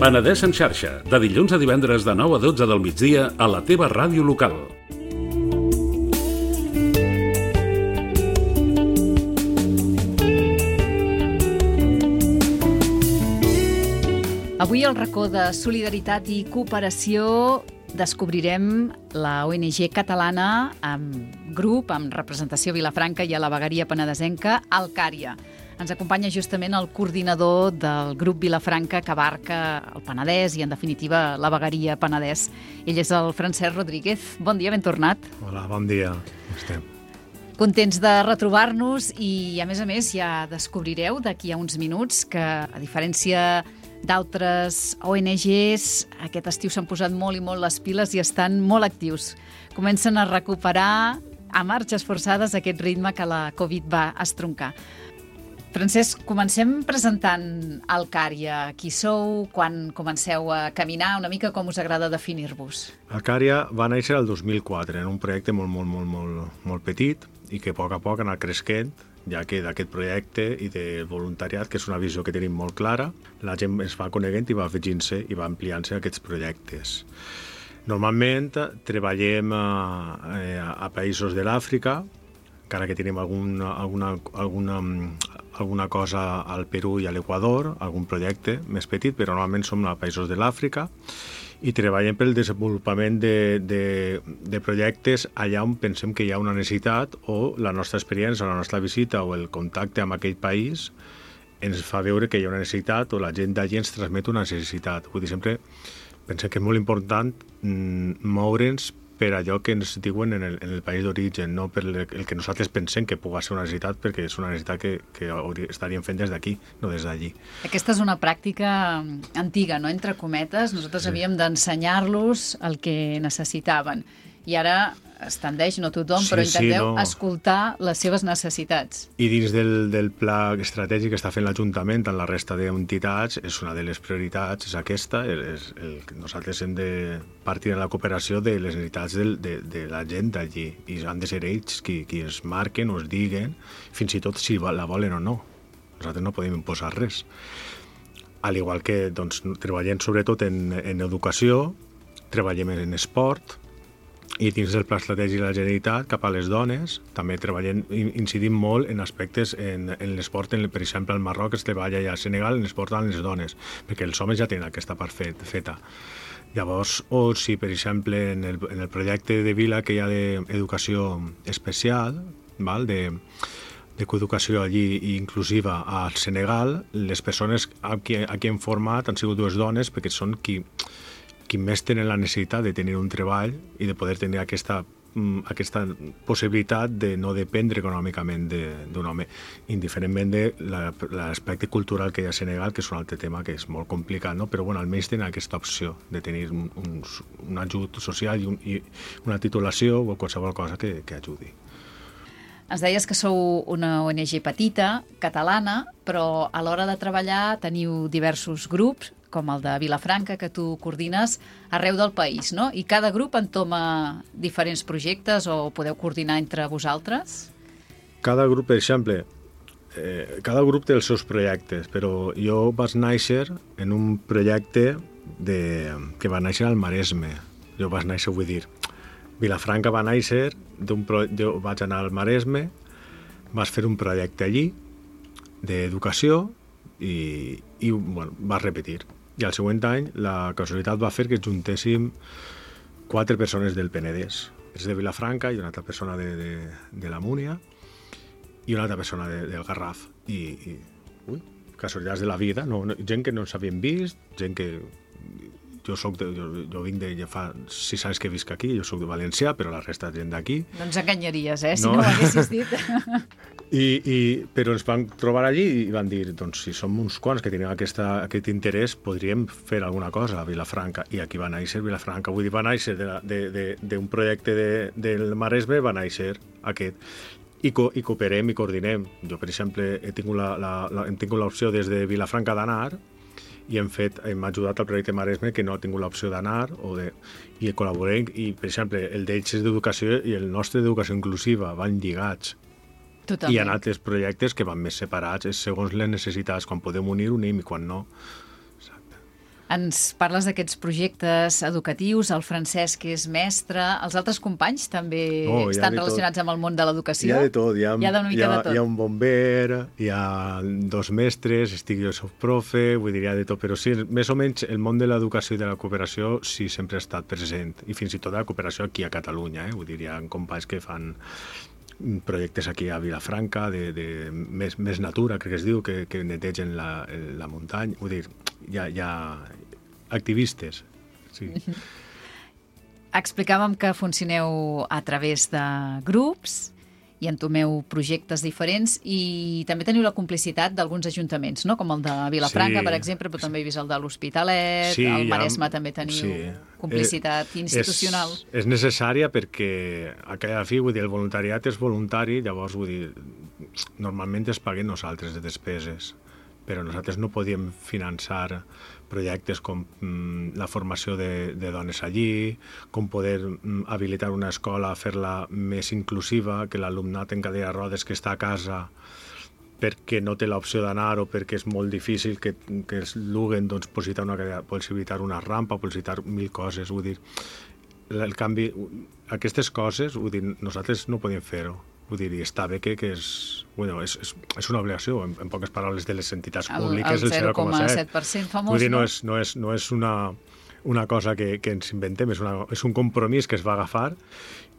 Penedès en xarxa, de dilluns a divendres de 9 a 12 del migdia a la teva ràdio local. Avui al racó de solidaritat i cooperació descobrirem la ONG catalana amb grup, amb representació a Vilafranca i a la vegueria penedesenca, Alcària. Ens acompanya justament el coordinador del grup Vilafranca que abarca el Penedès i, en definitiva, la vegueria Penedès. Ell és el Francesc Rodríguez. Bon dia, ben tornat. Hola, bon dia. Com estem? Contents de retrobar-nos i, a més, ja descobrireu d'aquí a uns minuts que, a diferència d'altres ONGs, aquest estiu s'han posat molt i molt les piles i estan molt actius. Comencen a recuperar a marxes forçades aquest ritme que la Covid va estroncar. Francesc, comencem presentant Alcària. Qui sou, quan comenceu a caminar, una mica com us agrada definir-vos? Alcària va néixer el 2004 en un projecte molt petit i que a poc ha anat creixent, ja que d'aquest projecte i de voluntariat, que és una visió que tenim molt clara, la gent es va coneguent i va afegint-se i va ampliant-se aquests projectes. Normalment treballem a països de l'Àfrica, encara que tenim alguna cosa al Perú i a l'Equador, algun projecte més petit, però normalment som a països de l'Àfrica, i treballem pel desenvolupament de projectes allà on pensem que hi ha una necessitat o la nostra experiència, la nostra visita o el contacte amb aquell país ens fa veure que hi ha una necessitat o la gent d'allí ens transmet una necessitat. Vull dir, sempre pensem que és molt important moure'ns per allò que ens diuen en el país d'origen, no per el que nosaltres pensem que pugui ser una necessitat, perquè és una necessitat que estaríem fent des d'aquí, no des d'allí. Aquesta és una pràctica antiga, no? Entre cometes, nosaltres havíem d'ensenyar-los el que necessitaven. I ara es tendeix, no tothom, però intenteu escoltar les seves necessitats. I dins del pla estratègic que està fent l'Ajuntament en la resta d'entitats, és una de les prioritats, és aquesta. Nosaltres hem de partir de la cooperació de les necessitats de la gent d'allí, i han de ser ells qui es marquen o es diguen, fins i tot si la volen o no. Nosaltres no podem imposar res. Al igual que treballem sobretot en educació, treballem en esport, i dins del Pla Estratègic de la Generalitat cap a les dones també incidim molt en aspectes en l'esport, per exemple al Marroc es treballa ja a Senegal en l'esport amb les dones, perquè els homes ja tenen aquesta part feta. Llavors, o si per exemple en el projecte de Vila que hi ha d'educació especial, de coeducació allí inclusiva al Senegal, les persones a qui hem format han sigut dues dones, perquè són qui més tenen la necessitat de tenir un treball i de poder tenir aquesta possibilitat de no dependre econòmicament d'un home, indiferentment de l'aspecte cultural que hi ha a Senegal, que és un altre tema que és molt complicat, no? Però almenys tenen aquesta opció de tenir un ajut social i una titulació o qualsevol cosa que ajudi. Ens deies que sou una ONG petita, catalana, però a l'hora de treballar teniu diversos grups, com el de Vilafranca, que tu coordines arreu del país, no? I cada grup entoma diferents projectes o podeu coordinar entre vosaltres? Cada grup, per exemple, cada grup té els seus projectes, però jo vaig néixer en un projecte que va néixer al Maresme. Jo vaig néixer, vull dir, Vilafranca va néixer, jo vaig anar al Maresme, vaig fer un projecte allí d'educació i va repetir. I al següent any la casualitat va fer que juntéssim 4 persones del Penedès. És de Vilafranca i una altra persona de la Múnia i una altra persona del Garraf. I casualitats de la vida, gent que no ens havíem vist, gent que... Jo vinc de fa 6 anys que visc aquí, jo soc de Valencià, però la resta de gent d'aquí. No ens enganyaries, si no ho haguessis dit. Però ens van trobar allí i van dir, doncs si som uns quants que tenim aquest interès, podríem fer alguna cosa a Vilafranca. I aquí va néixer Vilafranca. Vull dir, va néixer d'un projecte del Maresme, va néixer aquest. I cooperem i coordinem. Jo, per exemple, hem tingut l'opció des de Vilafranca d'anar i hem ajudat al projecte Maresme que no ha tingut l'opció d'anar i col·laborem, i per exemple el d'ells és d'educació i el nostre d'educació inclusiva van lligats. Totalment. Hi ha altres projectes que van més separats, és segons les necessitats, quan podem unir, unim, i quan no. Exacte. Ens parles d'aquests projectes educatius, el Francesc, que és mestre, els altres companys també estan relacionats amb el món de l'educació? Hi ha de tot, hi ha una mica de tot. Hi ha un bomber, hi ha 2 mestres, jo soc profe, vull dir, hi ha de tot, però sí, més o menys el món de l'educació i de la cooperació sí sempre ha estat present, i fins i tot la cooperació aquí a Catalunya, vull dir, hi ha companys que fan projectes aquí a Vilafranca de més natura, crec que es diu, que netegen la muntanya, vull dir, hi ha activistes, sí. Explicàvem que funcioneu a través de grups i entomeu projectes diferents i també teniu la complicitat d'alguns ajuntaments, no? Com el de Vilafranca, per exemple, però també he vist el de l'Hospitalet, el Maresme també teniu complicitat institucional. És necessària perquè a cada fi, vull dir, el voluntariat és voluntari, llavors, vull dir, normalment es paguen nosaltres de despeses, però nosaltres no podíem finançar projectes com la formació de dones allí, com poder habilitar una escola, fer-la més inclusiva, que l'alumnat en cadira de rodes que està a casa perquè no té l'opció d'anar o perquè és molt difícil que els luguen, doncs, possibilitar una rampa, possibilitar 1000 coses, vull dir, el canvi, aquestes coses, vull dir, nosaltres no podíem fer-ho. Vull dir, està bé que és una obligació, en poques paraules, de les entitats públiques, el 0,7%. famós, vull dir, no és una cosa que ens inventem, és un compromís que es va agafar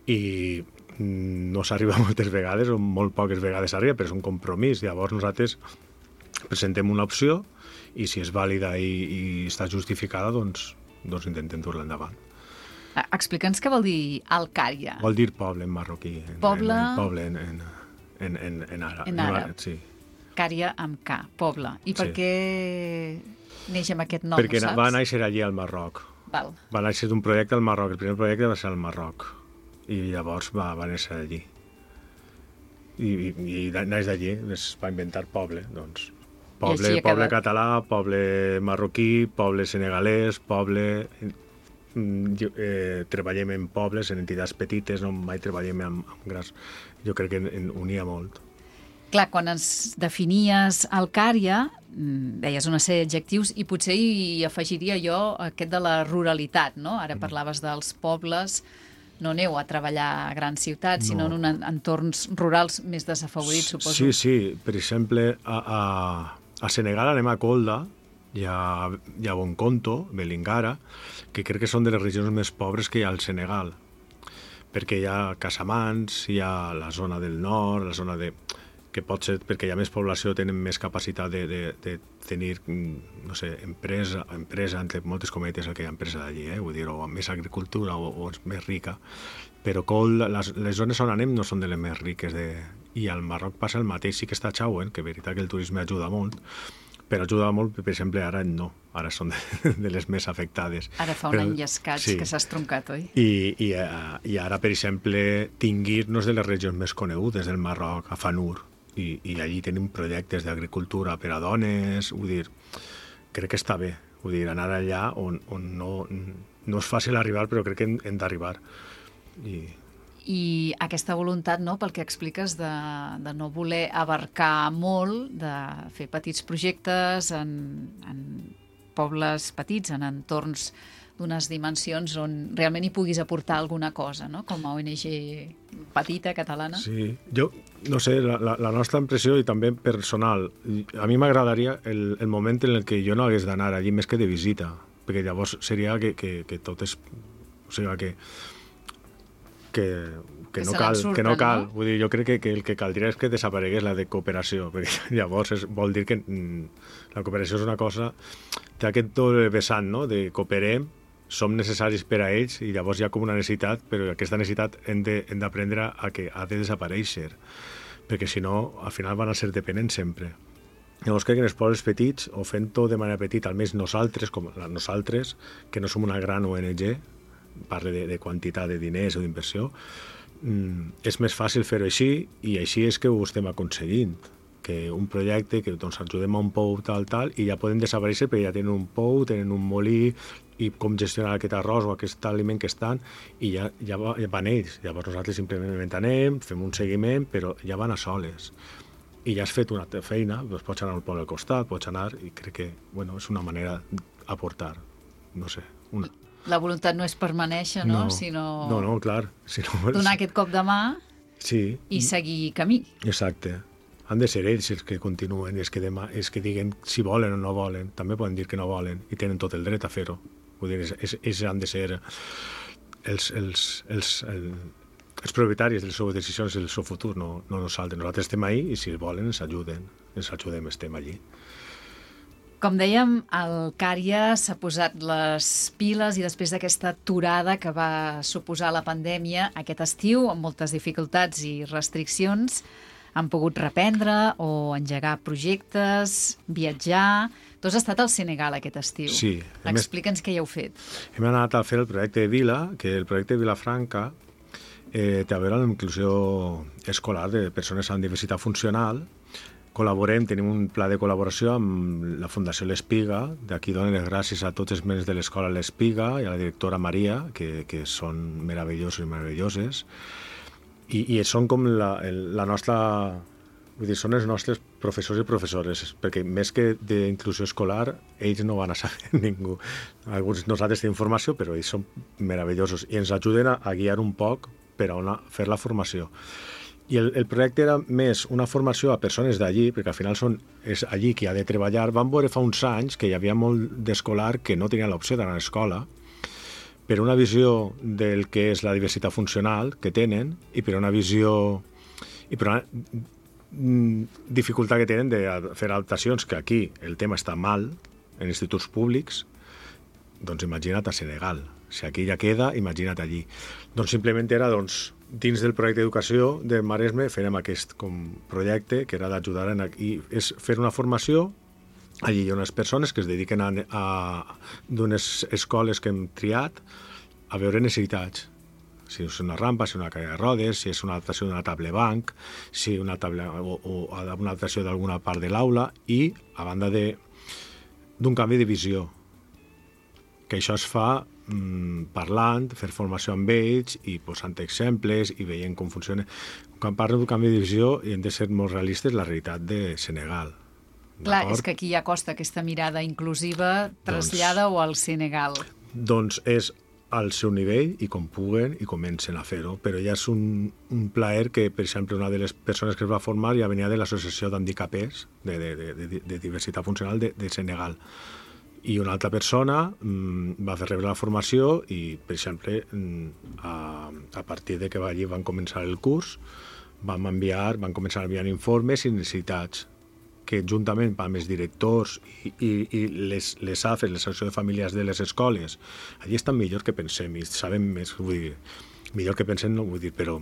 i no s'arriba moltes vegades, o molt poques vegades s'arriba, però és un compromís. Llavors nosaltres presentem una opció i si és vàlida i està justificada, doncs intentem dur-la endavant. Explica'ns què vol dir Alcària. Vol dir poble en marroquí. Poble... Poble en àrab. En àrab. Sí. Cària amb K, poble. I per què neix amb aquest nom, perquè saps? Va néixer allí al Marroc. Val. Va néixer d'un projecte al Marroc. El primer projecte va ser al Marroc. I llavors va néixer allí. I naix d'allí, es va inventar poble, doncs. Poble català, poble marroquí, poble senegalès, poble... treballem en pobles, en entitats petites, no mai treballem amb grans. Jo crec que en unia molt. Clar, quan ens definies Alcària, deies una sèrie d'adjectius i potser hi afegiria jo aquest de la ruralitat, no? Ara parlaves dels pobles, no aneu a treballar a grans ciutats, sinó en entorns rurals més desafavorits, suposo. Sí. Per exemple, a Senegal anem a Kolda, hi ha Bonconto, Belingara, que crec que són de les regions més pobres que hi ha al Senegal, perquè hi ha Casamance, hi ha la zona del nord, la zona de... que pot ser perquè hi ha més població, tenen més capacitat de tenir, no sé, empresa, entre moltes cometes, el que hi ha empresa d'allí, vull dir, o més agricultura o és més rica, però les zones on anem no són de les més riques, i al Marroc passa el mateix, sí que està Chauen, que és veritat que el turisme ajuda molt, però ajuda molt, per exemple, ara no, ara són de les més afectades. Ara fa un any i escaig que s'ha estroncat, oi? I ara, per exemple, Tinguir no és de les regions més conegudes del Marroc, a Fanur, i allí tenim projectes d'agricultura per a dones, vull dir, crec que està bé, vull dir, anar allà on no és fàcil arribar, però crec que hem d'arribar. I aquesta voluntat, no, pel que expliques, de no voler abarcar molt, de fer petits projectes en pobles petits, en entorns d'unes dimensions on realment hi puguis aportar alguna cosa, no? Com a ONG petita, catalana. Sí, jo, no sé, la nostra impressió i també personal, a mi m'agradaria el moment en el que jo no hagués d'anar allí més que de visita, perquè llavors seria que tot és... O sigui, que no cal. No? Vull dir, jo crec que el que caldria és que desaparegués la de cooperació, perquè llavors vol dir que la cooperació és una cosa, té aquest doble vessant, no? De cooperem, som necessaris per a ells i llavors hi ha com una necessitat, però aquesta necessitat hem d'aprendre a que ha de desaparèixer, perquè si no, al final van a ser dependents sempre. Llavors crec que en els pobles petits, o fent-ho de manera petita, almenys nosaltres, que no som una gran ONG, parle de quantitat de diners o d'inversió, és més fàcil fer-ho així, i així és que ho estem aconseguint, que un projecte que doncs, ajudem a un pou tal, i ja podem desaparèixer perquè ja tenen un pou, tenen un molí, i com gestionar aquest arròs o aquest aliment que estan, i ja van ells. Llavors nosaltres simplement anem, fem un seguiment, però ja van a soles. i ja has fet una feina, doncs pots anar al poble al costat, pots anar, i crec que és una manera d'aportar, no sé, una... La voluntat no és permanèixer, no? Sinó... No, clar. Donar aquest cop de mà i seguir camí. Exacte. Han de ser ells els que continuen, els que diguen si volen o no volen. També poden dir que no volen i tenen tot el dret a fer-ho. Vull dir, ells han de ser els propietaris de les seves decisions i del seu futur, no nosaltres. Nosaltres estem ahí i si volen ens ajudem, estem allí. Com dèiem, el Cària s'ha posat les piles i després d'aquesta aturada que va suposar la pandèmia aquest estiu, amb moltes dificultats i restriccions, han pogut reprendre o engegar projectes, viatjar... Tu has estat al Senegal aquest estiu. Sí. Explica'ns què hi heu fet. Hem anat a fer el projecte de Vila, que el projecte de Vilafranca té a veure amb la inclusió escolar de persones amb diversitat funcional. Tenim un pla de col·laboració amb la Fundació L'Espiga. D'aquí donen les gràcies a tots els membres de l'escola L'Espiga i a la directora Maria, que són meravellosos i meravelloses. I són com la nostra... Vull dir, són els nostres professors i professores, perquè més que d'inclusió escolar, ells no van a saber ningú. Alguns nosaltres tenim formació, però ells són meravellosos i ens ajuden a guiar un poc per a fer la formació. I el projecte era més una formació a persones d'allí, perquè al final és allí qui ha de treballar. Vam veure fa uns anys que hi havia molt d'escolar que no tenia l'opció d'anar a l'escola, per una visió del que és la diversitat funcional que tenen i per una visió i per una dificultat que tenen de fer adaptacions, que aquí el tema està mal en instituts públics, doncs imagina't a Senegal. Si aquí ja queda, imagina't allí. Doncs simplement era, dins del projecte d'educació de Maresme fèiem aquest projecte que era d'ajudar i és fer una formació. Allí hi ha unes persones que es dediquen d'unes escoles que hem triat a veure necessitats. Si és una rampa, si és una cadira de rodes, si és una adaptació d'una table banc, si una table o una adaptació d'alguna part de l'aula i a banda d'un canvi de visió. Que això es fa parlant, fer formació amb ells i posant exemples i veient com funciona. Quan parlo d'un canvi de visió hem de ser molt realistes la realitat de Senegal. Clar, és que aquí ja costa aquesta mirada inclusiva, trasllada-ho al Senegal. Doncs és al seu nivell i com puguen i comencen a fer-ho, però ja és un plaer que, per exemple, una de les persones que es va formar ja venia de l'Associació d'Handicapers de Diversitat Funcional de Senegal. I una altra persona va fer rebre la formació i, per exemple, a partir de que allí van començar el curs, van començar a enviar informes i necessitats que juntament amb els directors i les AFES, les associacions de famílies de les escoles, allí estan millor que pensem i sabem més, vull dir, millor que pensem no vull dir, però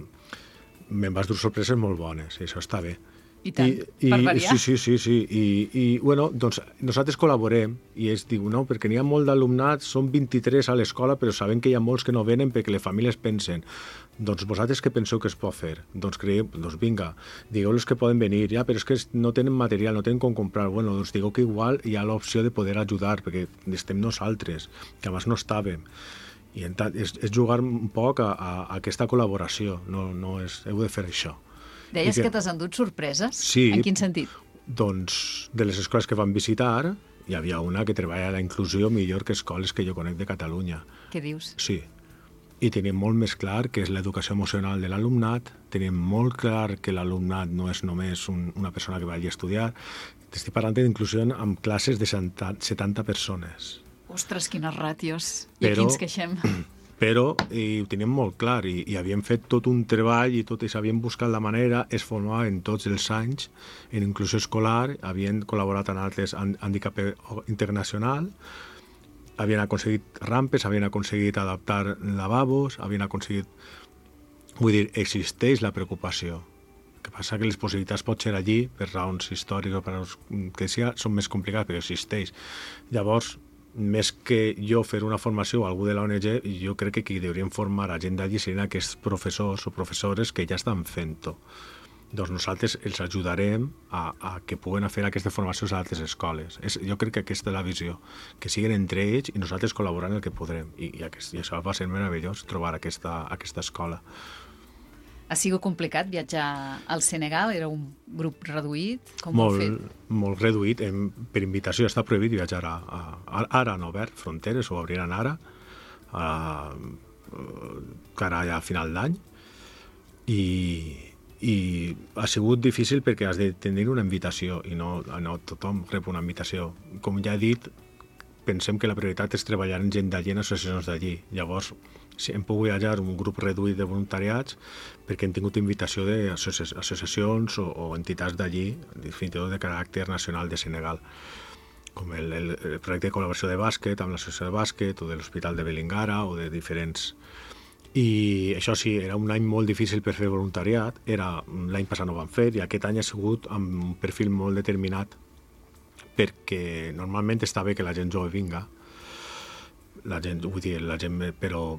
me'n vas dur sorpreses molt bones i això està bé. I tant, per variar. Sí. I bueno, doncs nosaltres col·laborem i ells diuen, no, perquè n'hi ha molt d'alumnat, són 23 a l'escola, però sabem que hi ha molts que no venen perquè les famílies pensen, doncs vosaltres què penseu que es pot fer? Doncs creiem, doncs vinga, digueu-los que poden venir, ja, però és que no tenen material, no tenen com comprar, bueno, doncs digueu que igual hi ha l'opció de poder ajudar, perquè estem nosaltres, que abans no estàvem. I és jugar un poc a aquesta col·laboració, no és, heu de fer això. Deies que t'has endut sorpreses? Sí. En quin sentit? Doncs de les escoles que vam visitar hi havia una que treballa la inclusió millor que escoles que jo conec de Catalunya. Què dius? Sí. I tenim molt més clar que és l'educació emocional de l'alumnat, tenim molt clar que l'alumnat no és només una persona que vagi a estudiar. Estic parlant d'inclusió amb classes de 70 persones. Ostres, quines ràtios. I aquí ens queixem. Però ho teníem molt clar i havíem fet tot un treball i havíem buscat la manera, es formaven tots els anys en inclusió escolar, havien col·laborat amb altres handicap internacional, havien aconseguit rampes, havien aconseguit adaptar lavabos, havien aconseguit... Vull dir, existeix la preocupació. El que passa que les possibilitats pot ser allí, per raons històriques o per raons que sigui, són més complicades, però existeix. Llavors, més que jo fer una formació a algú de l'ONG, jo crec que qui deurien formar a gent d'allí serien aquests professors o professores que ja estan fent-ho. Doncs nosaltres els ajudarem a que puguen fer aquestes formacions a altres escoles. Jo crec que aquesta és la visió, que siguin entre ells i nosaltres col·laborant el que podrem. I això va ser meravellós, trobar aquesta escola. Ha sigut complicat viatjar al Senegal? Era un grup reduït? Com ho heu fet? Molt reduït. Per invitació està prohibit viatjar ara han obert fronteres, ho obriran ara, cara ja a final d'any, i ha sigut difícil perquè has de tenir una invitació i no tothom rep una invitació. Com ja he dit, pensem que la prioritat és treballar en gent d'allí, en associacions d'allí. Llavors, hem pogut viatjar un grup reduït de voluntariats perquè hem tingut invitació d'associacions o entitats d'allí, fins i tot de caràcter nacional de Senegal, com el projecte de col·laboració de bàsquet amb l'associació de bàsquet o de l'Hospital de Belingara o de diferents. I això sí, era un any molt difícil per fer voluntariat, l'any passat no ho vam fer i aquest any ha sigut amb un perfil molt determinat perquè normalment està bé que la gent jove vinga, però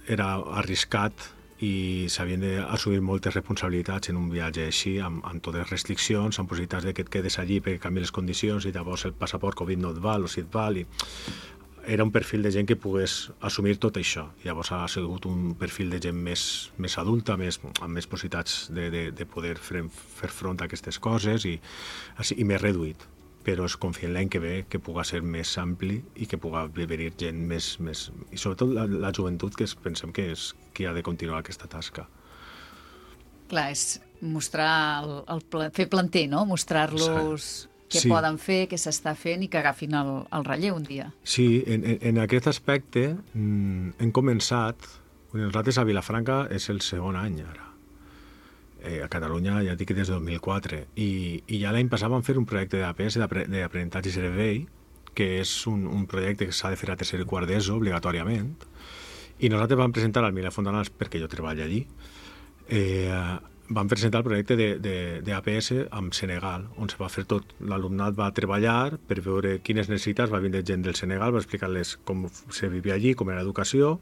era arriscat i s'havien d'assumir moltes responsabilitats en un viatge així, amb totes les restriccions, amb possibilitats que et quedes allí perquè canvien les condicions i llavors el passaport Covid no et val o si et val. Era un perfil de gent que pogués assumir tot això. Llavors ha sigut un perfil de gent més adulta, amb més possibilitats de poder fer front a aquestes coses i més reduït. Però es confia l'any que ve que puga ser més ampli i que puga venir gent més... I sobretot la joventut, que pensem que és qui ha de continuar aquesta tasca. Clar, és mostrar, fer planter, no? Mostrar-los què poden fer, què s'està fent i que agafin el relleu un dia. Sí, en aquest aspecte hem començat... Nosaltres a Vilafranca és el segon any ara. A Catalunya ja dic des de 2004 i ja l'any passat vam fer un projecte d'APS d'aprenentatge i servei, que és un projecte que s'ha de fer a tercer i quart d'ESO obligatòriament, i nosaltres vam presentar al Mila Fontanals, perquè jo treballo allí, vam presentar el projecte d'APS amb Senegal, on se va fer tot. L'alumnat va treballar per veure quines necessitats, va vindre gent del Senegal, va explicar-les com se vivia allí, com era l'educació,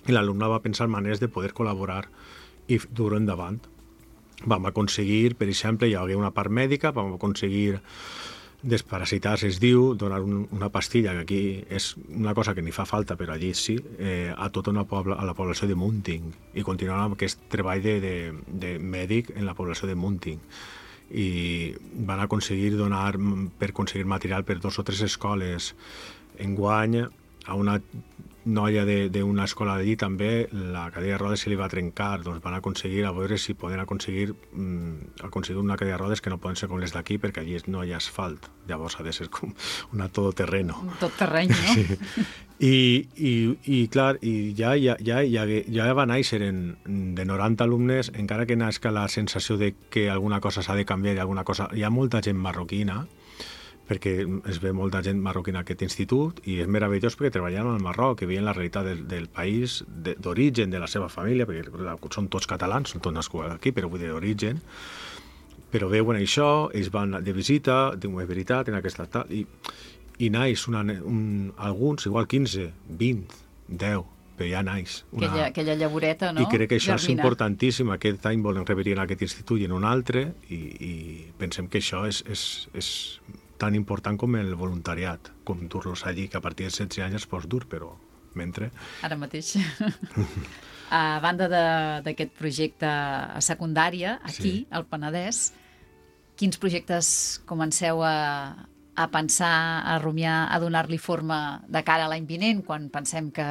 i l'alumnat va pensar maneres de poder col·laborar i dur-ho endavant. Vam aconseguir, per exemple, hi havia una part mèdica, vam aconseguir desparasitar-se, es diu, donar una pastilla, que aquí és una cosa que ni fa falta, però allí sí, a tota a la població de Munting, i continuar amb aquest treball de mèdic en la població de Munting. I van aconseguir donar, per aconseguir material per 2 o 3 escoles. Enguany, a una noia d'una escola d'allí també la cadira de rodes se li va trencar, doncs van aconseguir a veure si poden aconseguir una cadira de rodes que no poden ser com les d'aquí perquè allí no hi ha asfalt, llavors ha de ser com una todoterreno. Un todoterreny, no? Sí. I clar, ja va néixer de 90 alumnes, encara que nasca la sensació de que alguna cosa s'ha de canviar i alguna cosa... Hi ha molta gent marroquina, perquè es ve molta gent marroquina a aquest institut i és meravellós perquè treballen al Marroc, que veien la realitat del país, d'origen, de la seva família, perquè són tots catalans, són tots nascuts aquí, però vull dir d'origen, però veuen això, ells van de visita, diuen, és veritat, en aquesta tal, i naix alguns, igual 15, 20, 10, però ja naix. Aquella llavoreta, no? I crec que això és importantíssim. Aquest any volem repetir en aquest institut i en un altre, i pensem que això és tan important com el voluntariat, com dur-los allí, que a partir de 16 anys es pots dur, però mentre... Ara mateix. A banda d'aquest projecte a secundària, aquí, al Penedès, quins projectes comenceu a pensar, a rumiar, a donar-li forma de cara a l'any vinent, quan pensem que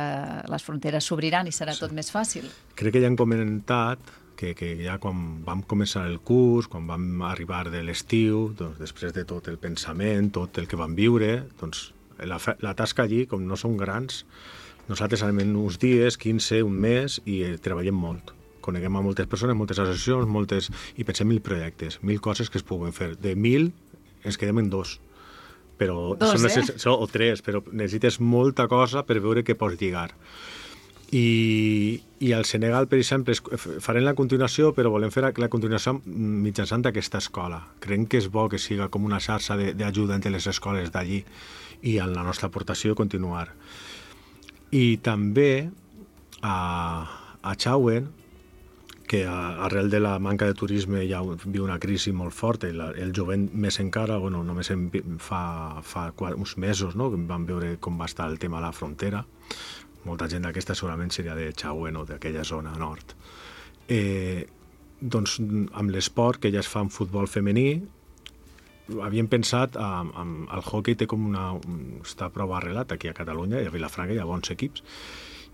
les fronteres s'obriran i serà tot més fàcil? Crec que ja han comentat que ja quan vam començar el curs, quan vam arribar de l'estiu, doncs després de tot el pensament, tot el que vam viure, doncs la tasca allí, com no són grans, nosaltres anem uns dies, 15, un mes, i treballem molt. Coneguem a moltes persones, moltes associacions, i pensem 1.000 projectes, 1.000 coses que es puguen fer. De 1.000 ens quedem en 2. Però o 3, però necessites molta cosa per veure què pots lligar. I al Senegal, per exemple, farem la continuació, però volem fer la continuació mitjançant aquesta escola. Creiem que és bo que siga com una xarxa d'ajuda entre les escoles d'allí i en la nostra aportació continuar. I també a Chauen, que arrel de la manca de turisme ja viu una crisi molt forta, i el jovent més encara, només fa uns mesos, no?, que vam veure com va estar el tema a la frontera. Molta gent d'aquesta segurament seria de Chauen o d'aquella zona nord. doncs, amb l'esport que ja es fa en futbol femení, havíem pensat, el hoquei té com està prou arrelat aquí a Catalunya, i a Vilafranca hi ha bons equips,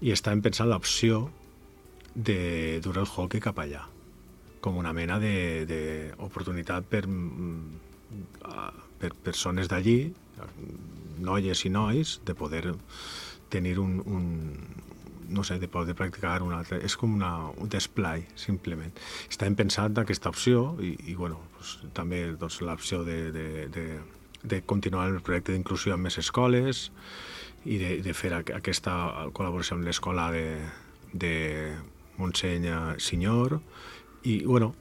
i estàvem pensant l'opció de dur el hoquei cap allà, com una mena d'oportunitat per persones d'allí, noies i nois, de poder tenir no sé, de poder practicar un altre... És com un display, simplement. Estàvem pensant aquesta opció i bueno, doncs, també doncs, l'opció de continuar el projecte d'inclusió amb més escoles i de fer aquesta col·laboració amb l'escola de Montseny Senyor i, bueno,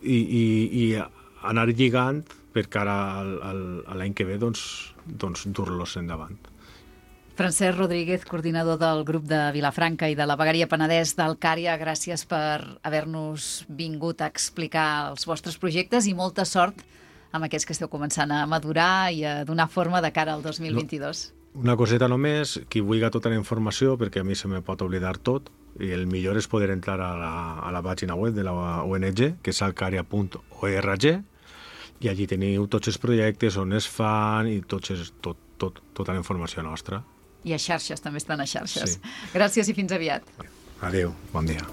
i anar lligant per cara a l'any que ve doncs dur-los endavant. Francesc Rodríguez, coordinador del grup de Vilafranca i de la Vegueria Penedès del Cària, gràcies per haver-nos vingut a explicar els vostres projectes i molta sort amb aquests que esteu començant a madurar i a donar forma de cara al 2022. Una coseta només, qui vulgui tota la informació, perquè a mi se me pot oblidar tot, i el millor és poder entrar a la pàgina web de la ONG, que és alcaria.org, i allí teniu tots els projectes, on es fan i tota la informació nostra. I a xarxes, també estan a xarxes. Sí. Gràcies i fins aviat. Adéu, bon dia.